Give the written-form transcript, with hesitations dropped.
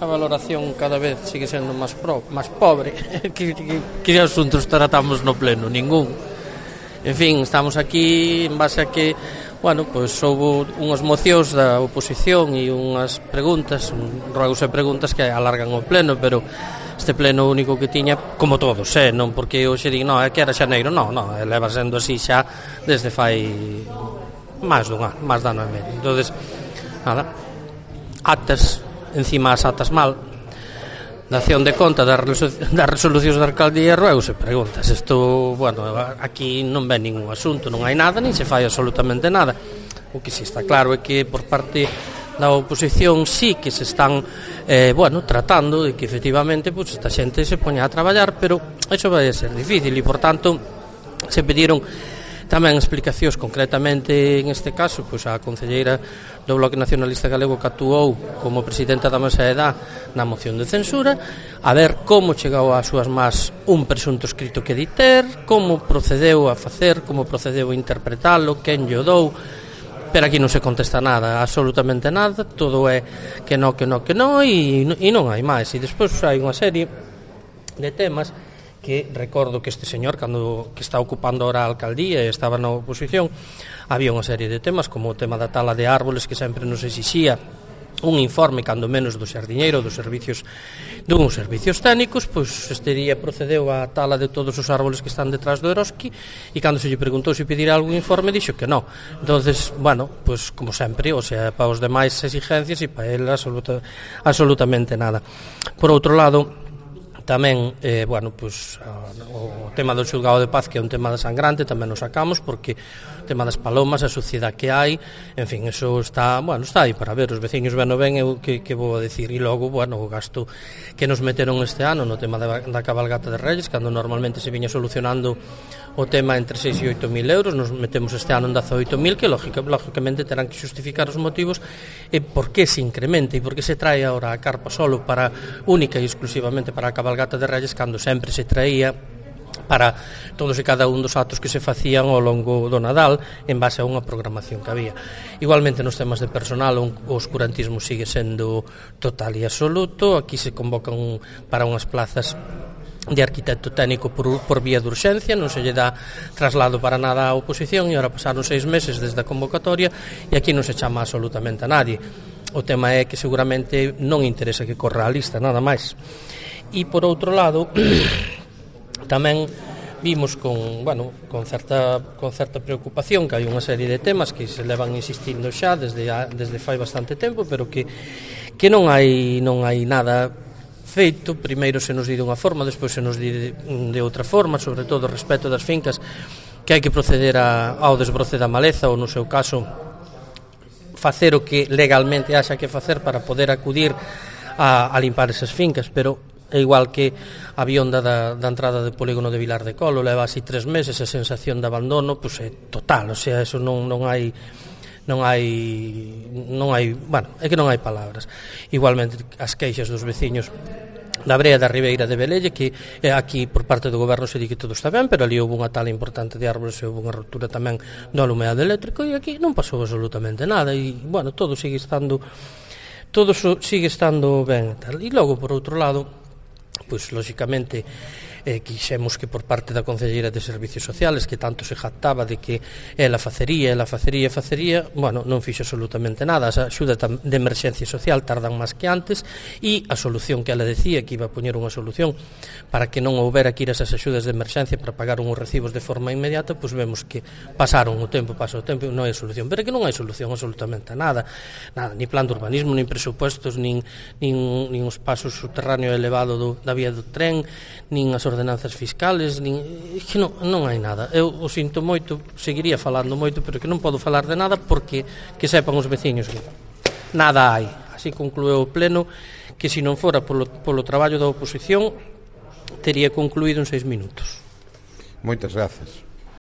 a valoración cada vez sigue sendo máis pobre. Que asuntos tratamos no pleno? Ningún. En fin, estamos aquí en base a que, bueno, pois houve unhas mocións da oposición e unhas preguntas, ruegos e preguntas que alargan o pleno, pero este pleno único que tiña, como todos, non porque hoxe digo, non, é que era xaneiro, non, leva sendo así xa desde fai máis de ano e medio. Entonces, nada, actas, encima as actas mal, dación de conta das resolucións da alcaldía, ruegos e preguntas. Isto, bueno, aquí non ven ningún asunto, non hai nada, nin se fai absolutamente nada. O que si está claro é que por parte da oposición sí que se están tratando de que efectivamente pues, esta xente se poña a traballar, pero iso vai a ser difícil e, por tanto, se pediron tamén explicacións, concretamente en este caso pois a concelleira do Bloque Nacionalista Galego que actuou como presidenta da Mesa de Edad na moción de censura, a ver como chegou ás súas más un presunto escrito que diter, como procedeu a facer, como procedeu a interpretalo, quen lle dou, pero aquí non se contesta nada, absolutamente nada, todo é que non, e non hai máis. E despois hai unha serie de temas que recordo que este señor, cando que está ocupando ahora a alcaldía e estaba na oposición, había unha serie de temas como o tema da tala de árboles que sempre nos exixía un informe, cando menos do xardiñeiro, dos servicios técnicos, pois este día procedeu a tala de todos os árboles que están detrás do Eroski e cando se lle preguntou se pedirá algún informe dixo que non. Entonces, bueno, pois como sempre, o sea, para os demais exigencias e para ele absolutamente nada. Por outro lado, tamén, o tema do xulgado de paz, que é un tema sangrante, tamén o sacamos, porque o tema das palomas, a suciedade que hai, en fin, eso está aí para ver, os veciños ben eu que vou a decir, e logo, o gasto que nos meteron este ano no tema da cabalgata de Reyes, cando normalmente se viña solucionando o tema entre 6 e 8 mil euros, nos metemos este ano en 18 mil, que lógicamente terán que justificar os motivos e por que se incrementa e por que se trae ahora a carpa solo para única e exclusivamente para a cabalgata de Reyes, cando sempre se traía para todos e cada un dos actos que se facían ao longo do Nadal en base a unha programación que había. Igualmente nos temas de personal o oscurantismo sigue sendo total e absoluto. Aquí se convocan para unhas plazas de arquitecto técnico por vía de urxencia, non se lle dá traslado para nada á oposición e ahora pasaron 6 meses desde a convocatoria e aquí non se chama absolutamente a nadie. O tema é que seguramente non interesa que corra a lista, nada máis. E por outro lado, tamén vimos con certa preocupación que hai unha serie de temas que se levan insistindo xa desde fai bastante tempo, pero que non hai nada feito. Primeiro se nos di de unha forma, despois se nos di de outra forma, sobre todo respecto das fincas, que hai que proceder ao desbroce da maleza ou, no seu caso, facer o que legalmente haxa que facer para poder acudir a limpar esas fincas, pero é igual que a vionda da entrada do polígono de Vilar de Colo, leva así 3 meses, a sensación de abandono pois é total, o sea, eso non hai, é que non hai palabras. Igualmente as queixas dos veciños da Brea da Ribeira de Velelle, que aquí por parte do goberno se di que todo está ben, pero ali houve unha tala importante de árboles e houve unha ruptura tamén do alumeado eléctrico e aquí non pasou absolutamente nada e, todo sigue estando ben e tal. E logo, por outro lado, pois, lógicamente, quixemos que por parte da Concelleira de Servicios Sociales, que tanto se jactaba de que ela facería, non fixo absolutamente nada. As axudas de emerxencia social tardan máis que antes e a solución que ela decía que iba a poñer unha solución para que non houbera que ir esas axudas de emerxencia para pagar uns recibos de forma inmediata, pois vemos que pasa o tempo, non hai solución, pero que non hai solución absolutamente nada, ni plan de urbanismo, nin presupuestos, nin os pasos subterráneo elevado da vía do tren, nin as ordenanzas fiscales, que non hai nada. Eu o sinto moito, seguiría falando moito, pero que non podo falar de nada porque que sepan os veciños que nada hai. Así conclueu o pleno, que se non fora polo traballo da oposición tería concluído en 6 minutos. Moitas grazas.